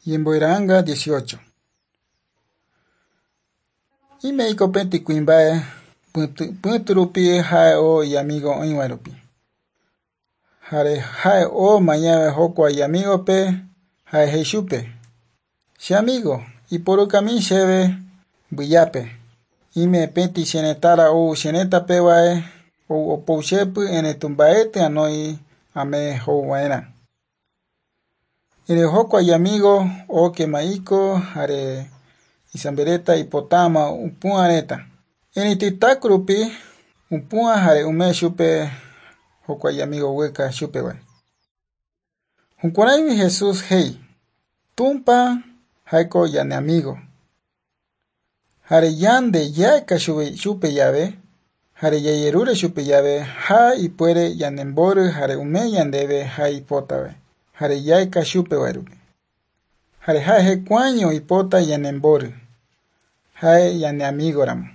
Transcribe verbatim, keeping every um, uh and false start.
Ñembo'era'anga dieciocho. Imeiko peti kuimba'e pytũ rupi ha'e oo iamigo oĩva rupi. Jare ha'e oo mañave jokua iamigope ha'e he'i chupe. Che amigo, iporukami chéve mbyjape. Ime peti che retãra ou che retãpevae ou opou chépy eretumba'éty anói ame ho'uva'erã. Ere jokua iamigo okema'iko jare isambereta ipotáma upu'ã reta. Erĩtytaku rupi upu'ã jare ome chupe jokua iamigo gueka chupegua. Jukuráimi Jesús he'i Tupã ha'éko ñane amigo. Jare yande ja'eka chupe jave jare jajerure chupe jave ha ipuere ñanembory jare ome ñandéve ha ipotave jare ja'eka chupegua rupi. Jare ha'e hekuáño ipota ñanembory ha'e ñane amigoramo.